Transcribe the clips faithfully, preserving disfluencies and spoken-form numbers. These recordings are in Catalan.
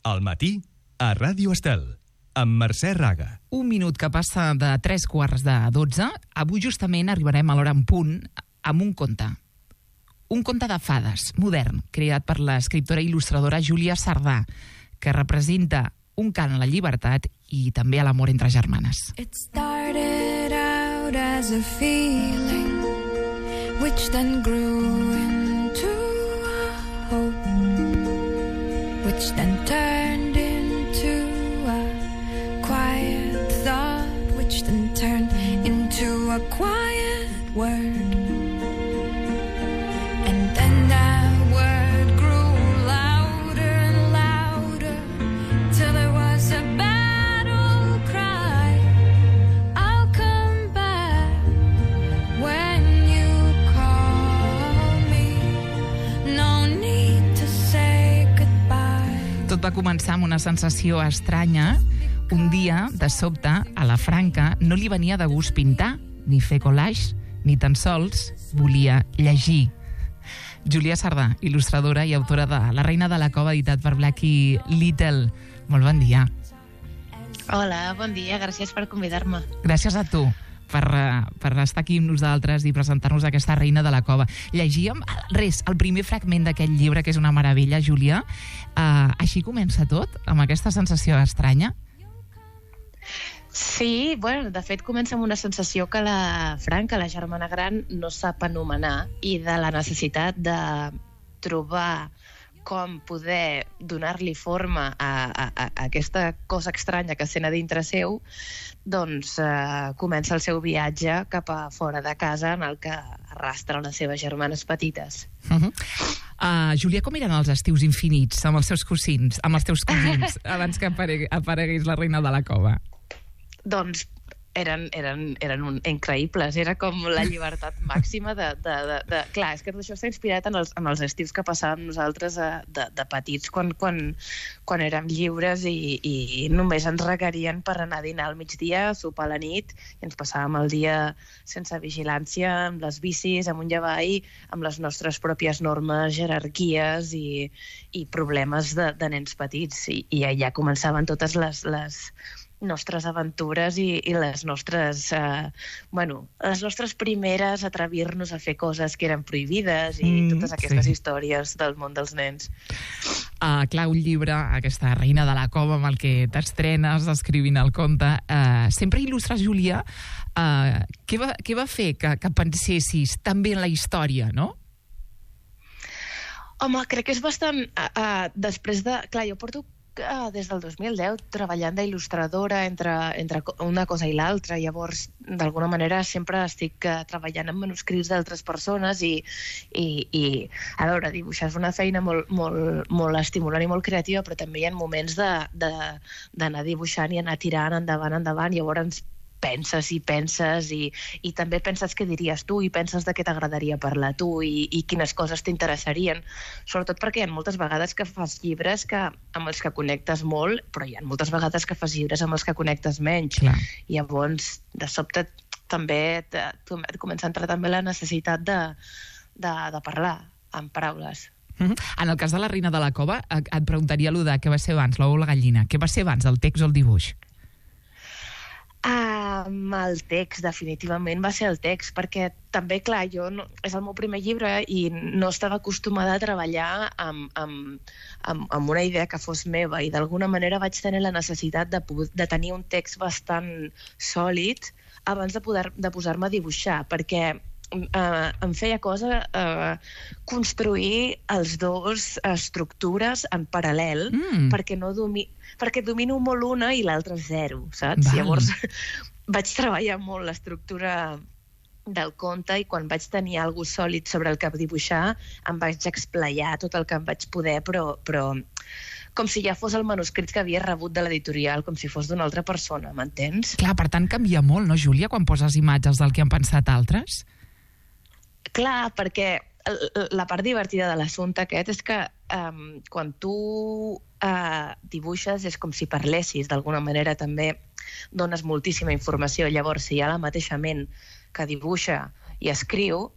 Al matí, a Ràdio Estel, amb Mercè Raga. Un minut que passa de tres quarts de dotze. Avui justament arribarem a l'hora en punt amb un conte. Un conte de fades, modern, creat per l'escriptora i il·lustradora Júlia Sardà, que representa un cant a la llibertat i també a l'amor entre germanes. It started out as a feeling which then grew into a hope which then turned into a quiet thought which then turned into a quiet word. And then that word grew louder and louder till it was a battle cry. I'll come back when you call me. No need to say goodbye. Tot va començar amb una sensació estranya. Un dia, de sobte, a la Franca no li venia de gust pintar, ni fer collage, ni tan sols volia llegir. Júlia Sardà, il·lustradora i autora de La reina de la cova, editat per Blackie Little. Molt bon dia. Hola, bon dia, gràcies per convidar-me. Gràcies a tu per, per estar aquí amb nosaltres i presentar-nos aquesta reina de la cova. Llegíem, res, el primer fragment d'aquest llibre, que és una meravella, Júlia. Uh, així comença tot, amb aquesta sensació estranya? Sí, bueno, de fet comença amb una sensació que la Franca, la germana gran, no sap anomenar i de la necessitat de trobar com poder donar-li forma a, a, a aquesta cosa estranya que sent a dintre seu, doncs eh, comença el seu viatge cap a fora de casa en el que arrastra les seves germanes petites. Uh-huh. Uh, Júlia, com eren els estius infinits amb els seus cosins, amb els teus cosins, abans que aparegui, aparegués la reina de la cova? Doncs eren, eren, eren un, increïbles, era com la llibertat màxima de, de, de, de... Clar, és que tot això està inspirat en els, en els estius que passàvem nosaltres a, de, de petits quan, quan, quan érem lliures i, i només ens requerien per anar a dinar al migdia, a sopar a la nit, i ens passàvem el dia sense vigilància, amb les bicis, amunt i avall, amb les nostres pròpies normes, jerarquies i, i problemes de, de nens petits. I, i allà començaven totes les... les nostres aventures i, i les nostres eh, bueno, les nostres primeres atrevir-nos a fer coses que eren prohibides i mm, totes aquestes sí. històries del món dels nens. Uh, clar, un llibre, aquesta reina de la cova amb el que t'estrenes escrivint el conte, uh, sempre il·lustres, Júlia, uh, què, va, què va fer que, que pensessis tan bé en la història, no? Home, crec que és bastant uh, uh, després de... Clar, jo porto des del dos mil deu treballant d'il·lustradora entre, entre una cosa i l'altra. Llavors, d'alguna manera, sempre estic uh, treballant amb manuscrits d'altres persones i, i, i, a veure, dibuixar és una feina molt, molt, molt estimulant i molt creativa, però també hi ha moments d'anar de, de, dibuixant i anar tirant endavant, endavant. Llavors, penses i penses i, i també penses què diries tu i penses de què t'agradaria parlar tu i, i quines coses t'interessarien, sobretot perquè hi ha moltes vegades que fas llibres que, amb els que connectes molt, però hi ha moltes vegades que fas llibres amb els que connectes menys. Clar. I llavors, de sobte, també et comença a entrar també la necessitat de, de, de parlar amb paraules. Mm-hmm. En el cas de la reina de la cova, et preguntaria allò de què va ser abans, l'ou o la gallina. Què va ser abans, el text o el dibuix? Um, el text, definitivament va ser el text, perquè també, clar, jo no, és el meu primer llibre i no estava acostumada a treballar amb, amb, amb, amb una idea que fos meva i d'alguna manera vaig tenir la necessitat de, de tenir un text bastant sòlid abans de, poder, de posar-me a dibuixar, perquè Uh, em feia cosa uh, construir els dos estructures en paral·lel mm. perquè, no domi perquè domino molt una i l'altra zero, saps? Val. Llavors vaig treballar molt l'estructura del conte i quan vaig tenir alguna cosa sòlid sobre el que dibuixar em vaig explayar tot el que em vaig poder, però, però com si ja fos el manuscrit que havia rebut de l'editorial, com si fos d'una altra persona, m'entens? Clar, per tant canvia molt, no, Júlia, quan poses imatges del que han pensat altres? Clar, perquè la part divertida de l'assumpte aquest és que um, quan tu uh, dibuixes és com si parlessis, d'alguna manera també dones moltíssima informació. Llavors, si hi ha la mateixa ment que dibuixa i escriu,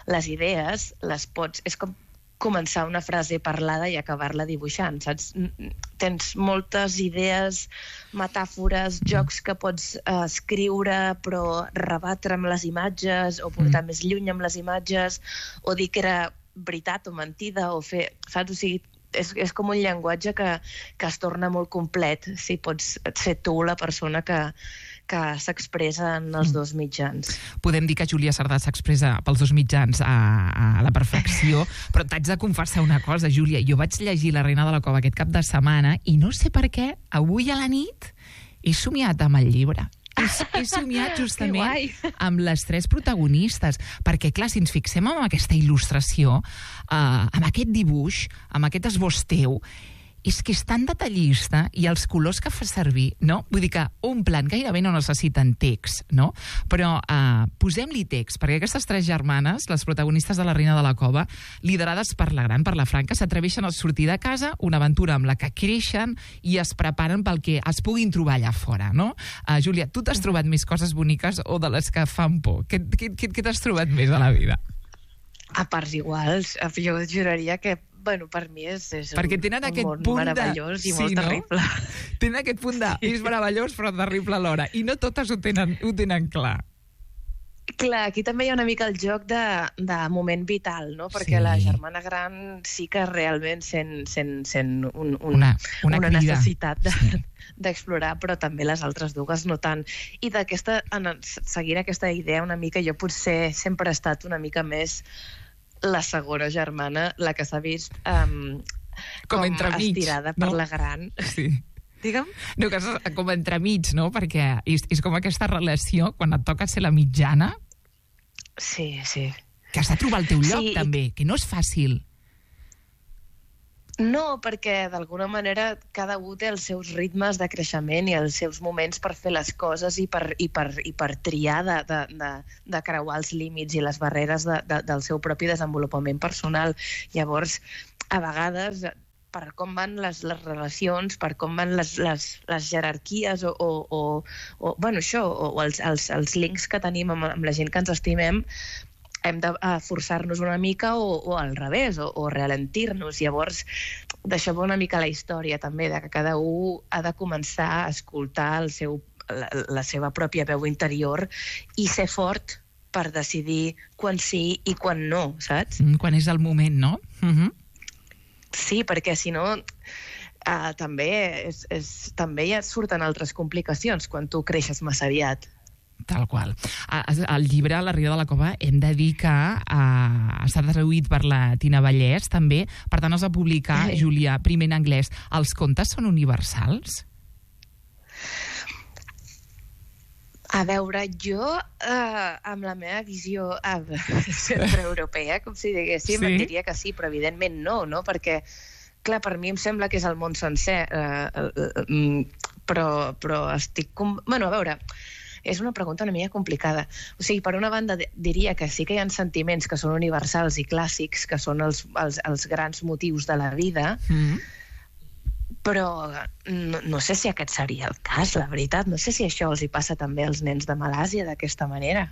les idees les pots... És com començar una frase parlada i acabar-la dibuixant, saps? Tens moltes idees, metàfores, jocs que pots eh, escriure però rebatre amb les imatges o portar mm. més lluny amb les imatges o dir que era veritat o mentida o fer, saps? O sigui, és, és com un llenguatge que, que es torna molt complet si pots ser tu la persona que, que s'expressa en els dos mitjans. Podem dir que Júlia Cerdà s'expressa pels dos mitjans a, a la perfecció, però t'haig de confessar una cosa, Júlia. Jo vaig llegir La reina de la cova aquest cap de setmana i no sé per què, avui a la nit he somiat amb el llibre. He, he somiat justament amb les tres protagonistes, perquè, clar, si ens fixem en aquesta il·lustració, eh, amb aquest dibuix, amb aquest esbós teu, és que és tan detallista i els colors que fa servir, no? Vull dir que omplen, gairebé no necessiten text, no? Però eh, posem-li text, perquè aquestes tres germanes, les protagonistes de La reina de la cova, liderades per la gran, per la Franca, s'atreveixen a sortir de casa, una aventura amb la que creixen i es preparen pel que es puguin trobar allà fora, no? Uh, Júlia, tu t'has trobat més coses boniques o de les que fan por? Què, què, què, què t'has trobat més a la vida? A parts iguals. Jo juraria que bueno, per mi és, és perquè un, tenen un aquest món punt meravellós de... i molt sí, no? terrible. Tenen aquest punt de... Sí. És meravellós però terrible alhora. I no totes ho tenen, ho tenen clar. Clar, aquí també hi ha una mica el joc de, de moment vital, no? Perquè Sí. la germana gran sí que realment sent, sent, sent un, un, Una- una una crida. necessitat de, Sí. d'explorar, però també les altres dues no tant. I d'aquesta, en- seguint aquesta idea una mica, jo potser sempre he estat una mica més la segona germana, la que s'ha vist um, Com com, entremig, estirada no? per la gran. Sí. Digue'm? No, que és com entremig, no? Perquè és, és com aquesta relació, quan et toca ser la mitjana, Sí, sí. que has de trobar el teu lloc, Sí, i- també, que no és fàcil. No, perquè d'alguna manera cada un té els seus ritmes de creixement i els seus moments per fer les coses i per, i per, i per triar de, de, de, de creuar els límits i les barreres de, de, del seu propi desenvolupament personal. Llavors, a vegades, per com van les, les relacions, per com van les, les, les jerarquies o, o, o, o, bueno, això, o, o els, els, els links que tenim amb, amb la gent que ens estimem, hem de uh, forçar-nos una mica o, o al revés, o, o ralentir-nos. Llavors, deixem una mica la història també, de que cada un ha de començar a escoltar el seu, la, la seva pròpia veu interior i ser fort per decidir quan sí i quan no, saps? Mm, quan és el moment, no? Uh -huh. Sí, perquè si no... Uh, també, és, és, també ja surten altres complicacions quan tu creixes massa aviat. Tal qual. El llibre La reina de la cova hem de dir que uh, està traduït per la Tina Vallès, també. Per tant, es va publicar, Sí. Júlia, primer en anglès. Els contes són universals? A veure, jo, eh, amb la meva visió eh, centroeuropea, com si diguéssim, Sí. sí. diria que sí, però evidentment no, no? Perquè, clar, per mi em sembla que és el món sencer, eh, eh, eh, però, però estic... Com... Bueno, a veure, és una pregunta una mica complicada. O sigui, per una banda, diria que sí que hi ha sentiments que són universals i clàssics, que són els, els, els grans motius de la vida, Mm. però no, no sé si aquest seria el cas, la veritat. No sé si això els hi passa també als nens de Malàsia d'aquesta manera.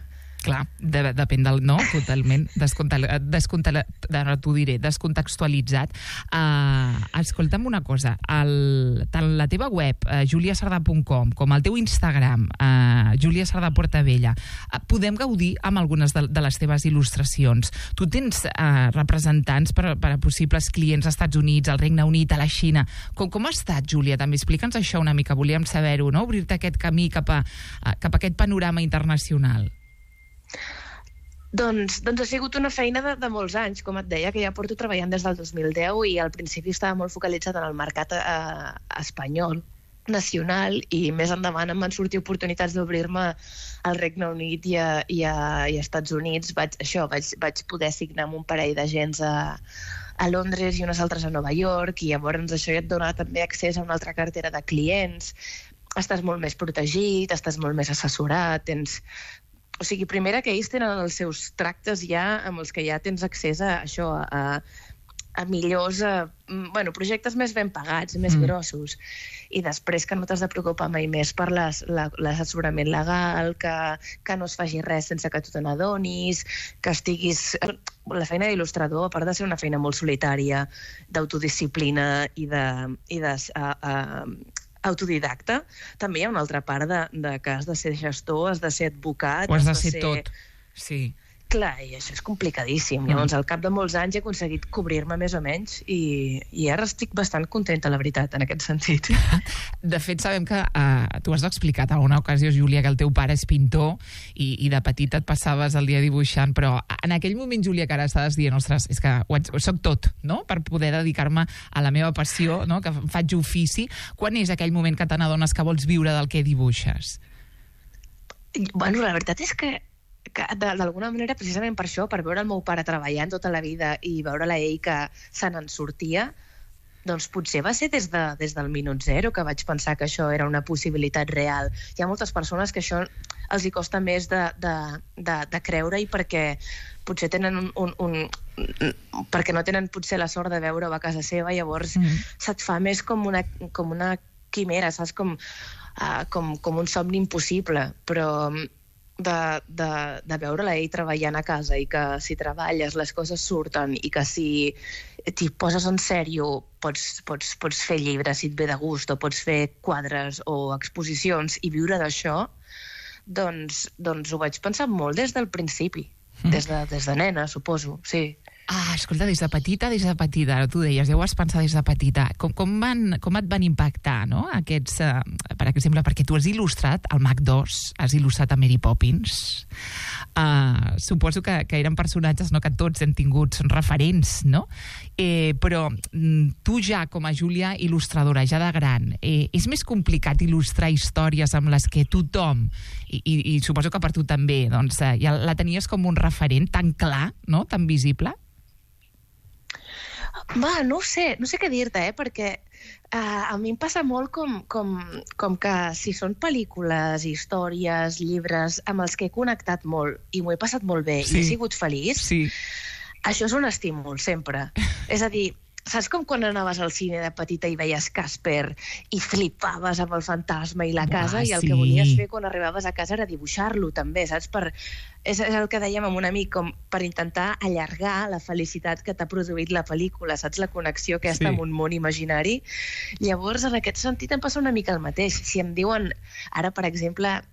Clar, de, depèn del... No, totalment. Descontal, descontal, ara t'ho diré, descontextualitzat. Uh, escolta'm una cosa. El, tant la teva web, uh, julia cerdà punt com, com el teu Instagram, uh, Júlia Cerdà Portabella, uh, podem gaudir amb algunes de, de les teves il·lustracions. Tu tens uh, representants per, per a possibles clients als Estats Units, al Regne Unit, a la Xina. Com, com ha estat, Júlia? També explica'ns això una mica. Volíem saber-ho, no? Obrir-te aquest camí cap a, uh, cap a aquest panorama internacional. Doncs, doncs ha sigut una feina de, de molts anys, com et deia, que ja porto treballant des del dos mil deu i al principi estava molt focalitzat en el mercat eh, espanyol, nacional, i més endavant em van sortir oportunitats d'obrir-me al Regne Unit i a, i a, i a Estats Units. Vaig, això, vaig, vaig poder signar amb un parell d'agents a, a Londres i unes altres a Nova York, i llavors això ja et dona també accés a una altra cartera de clients, estàs molt més protegit, estàs molt més assessorat, tens... O sigui, primera que ells tenen els seus tractes ja amb els que ja tens accés a això, a, a millors, eh, mm, bueno, projectes més ben pagats, més Mm. grossos. I després que no t'has de preocupar mai més per les- la- l'assessorament legal, que, que no es faci res sense que tu te n'adonis, que estiguis... La feina d'il·lustrador, a part de ser una feina molt solitària, d'autodisciplina i de, i de uh, uh, autodidacta, també hi ha una altra part de, de que has de ser gestor, has de ser advocat... Ho has de ser tot. Sí. Clar, i això és complicadíssim. Mm. Llavors, al cap de molts anys he aconseguit cobrir-me més o menys i, i ara estic bastant contenta, la veritat, en aquest sentit. De fet, sabem que uh, tu has explicat en alguna ocasió, Júlia, que el teu pare és pintor i, i de petita et passaves el dia dibuixant, però en aquell moment, Júlia, que ara estaves dient, ostres, és que ho, ho soc tot, no?, per poder dedicar-me a la meva passió, no?, que faig ofici. Quan és aquell moment que te n'adones que vols viure del que dibuixes? Bueno, la veritat és que que de- d'alguna manera, precisament per això, per veure el meu pare treballant tota la vida i veure-la ell que se n'en sortia, doncs potser va ser des, de, des del minut zero que vaig pensar que això era una possibilitat real. Hi ha moltes persones que això els hi costa més de, de, de, de creure-hi perquè potser tenen un, un, un perquè no tenen potser la sort de veure-ho a casa seva, llavors Mm. se't fa més com una, com una quimera, saps? Com, uh, com, com un somni impossible, però de, de, de veure-la ell treballant a casa i que si treballes les coses surten i que si t'hi poses en sèrio pots, pots, pots fer llibres si et ve de gust o pots fer quadres o exposicions i viure d'això, doncs, doncs ho vaig pensar molt des del principi, Mm. des, de, des de nena, suposo, sí. Ah, escolta, des de petita, des de petita, ara tu deies, ja ho has pensat des de petita. Com, com, van, com et van impactar, no?, aquests... Uh, per exemple, perquè tu has il·lustrat el Mac dos, has il·lustrat a Mary Poppins. Uh, suposo que, que eren personatges, no?, que tots hem tingut, són referents, no? Eh, però mm, tu ja, com a Júlia il·lustradora, ja de gran, eh, és més complicat il·lustrar històries amb les que tothom, i, i, i suposo que per tu també, doncs, eh, ja la tenies com un referent tan clar, no?, tan visible? Va, no ho sé, no sé què dir-te, eh? Perquè uh, a mi em passa molt com, com, com que si són pel·lícules, històries, llibres amb els que he connectat molt i m'ho he passat molt bé Sí. i he sigut feliç, Sí. això és un estímul, sempre. És a dir, saps com quan anaves al cine de petita i veies Casper i flipaves amb el fantasma i la casa, Uah, i el sí. que volies fer quan arribaves a casa era dibuixar-lo també, saps? Per, és, és el que dèiem amb un amic, com per intentar allargar la felicitat que t'ha produït la pel·lícula, saps? La connexió aquesta Sí. amb un món imaginari. Llavors, en aquest sentit, em passa una mica el mateix. Si em diuen, ara, per exemple,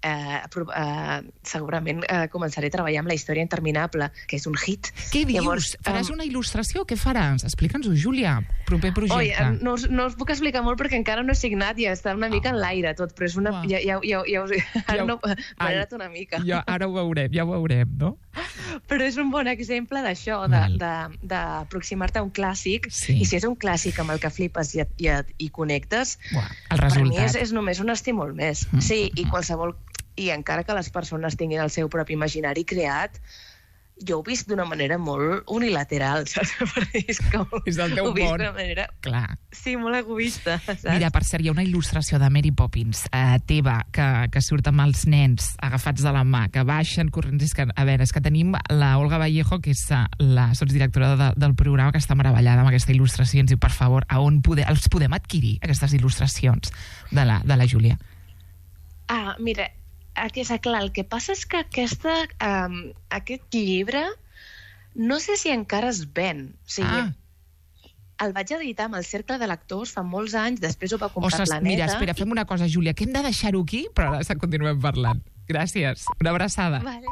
eh, pro- eh, segurament eh, començaré a treballar amb La història interminable, que és un hit. Què dius? Llavors, Faràs em, una il·lustració? Què faràs? Explica'ns-ho, Júlia. Proper Oi, projecte. eh, no, us- no us puc explicar molt perquè encara no he signat i està una mica en l'aire tot, però és una... Uah. Ja, ja, ja, ja, us- ara Ja ho- no, m'ha Ai. anat una mica. Ja, ara ho veurem, ja ho veurem, no? Però és un bon exemple d'això, Val. de- de- d'aproximar-te a un clàssic, Sí. i si és un clàssic amb el que flipes i, et- i, et- i connectes, Buah, el per mi resultat. és, és només un estímul més. Mm. Sí, i qualsevol... I encara que les persones tinguin el seu propi imaginari creat, jo ho he vist d'una manera molt unilateral, saps? Perquè és com... És el teu ho he vist món. d'una manera... Clar. Sí, molt egoista, saps? Mira, per cert, hi ha una il·lustració de Mary Poppins eh, teva, que, que surt amb els nens agafats de la mà, que baixen corrents. És que, a veure, és que tenim la Olga Vallejo, que és eh, la sotsdirectora de, del programa, que està meravellada amb aquesta il·lustració. Ens diu, per favor, a on pode, els podem adquirir, aquestes il·lustracions de la, de la Júlia? Ah, mira, aquesta, clar, el que passa és que aquesta, um, aquest llibre no sé si encara es ven. O sigui, Ah. el vaig editar amb el Cercle de Lectors fa molts anys, després ho va comprar Ostres, Planeta. mira, espera, fem una cosa, Júlia, que hem de deixar-ho aquí, però ara continuem parlant. Gràcies. Una abraçada. Vale.